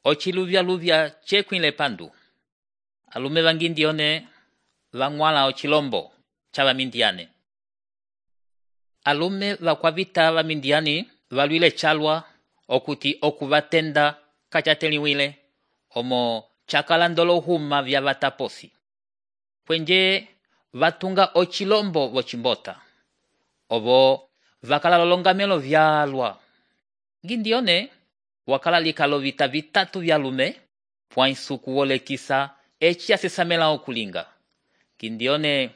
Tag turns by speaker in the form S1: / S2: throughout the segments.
S1: ochiluvya chekwile pandu. Alume va Gideone vang'wala ochilombo cha Vamidiane. Alume vakwavita Vamidiani valwile chalwa okuti okuvatenda kachateliwile omo chakalandolo huma vya vataposi. Kwenje vatunga ochilombo vochimbota. Ovo vakala lolongamelo vyalwa. Gideone wakala likalo vita vitatu vyalume pwainsuku wolekisa echi asesamela okulinga. Gideone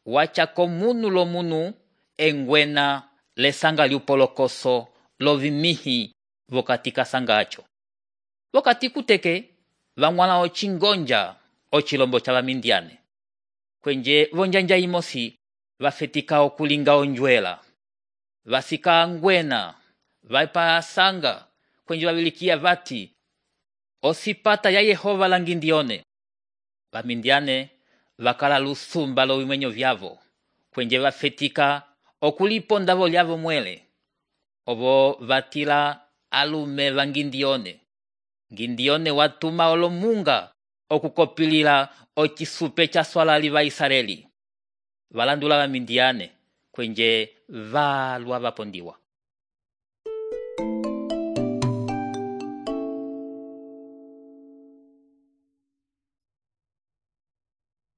S1: wachako munu lo munu engwena lesanga liupolokoso lovimihi vokatika sangacho. Vokati kuteke vang'wala ochingonja ochilombo cha Vamidiane. Kwenje vonjanja imosi vafetika okulinga onjwela. Vasika angwena vaipa sanga kwenje vabilikia vati osipata ya Yehova la Gideone. Vamidiane vakala lusumba lo vimenyo vyavo kwenje vafetika okuliponda vo lyavo mwele. Ovo vatila alume va Gideone. Gideone watuma olomunga okukopilila ochisupe cha swalali va Israeli. Valandula Vamidiane kwenje valwa vapondiwa.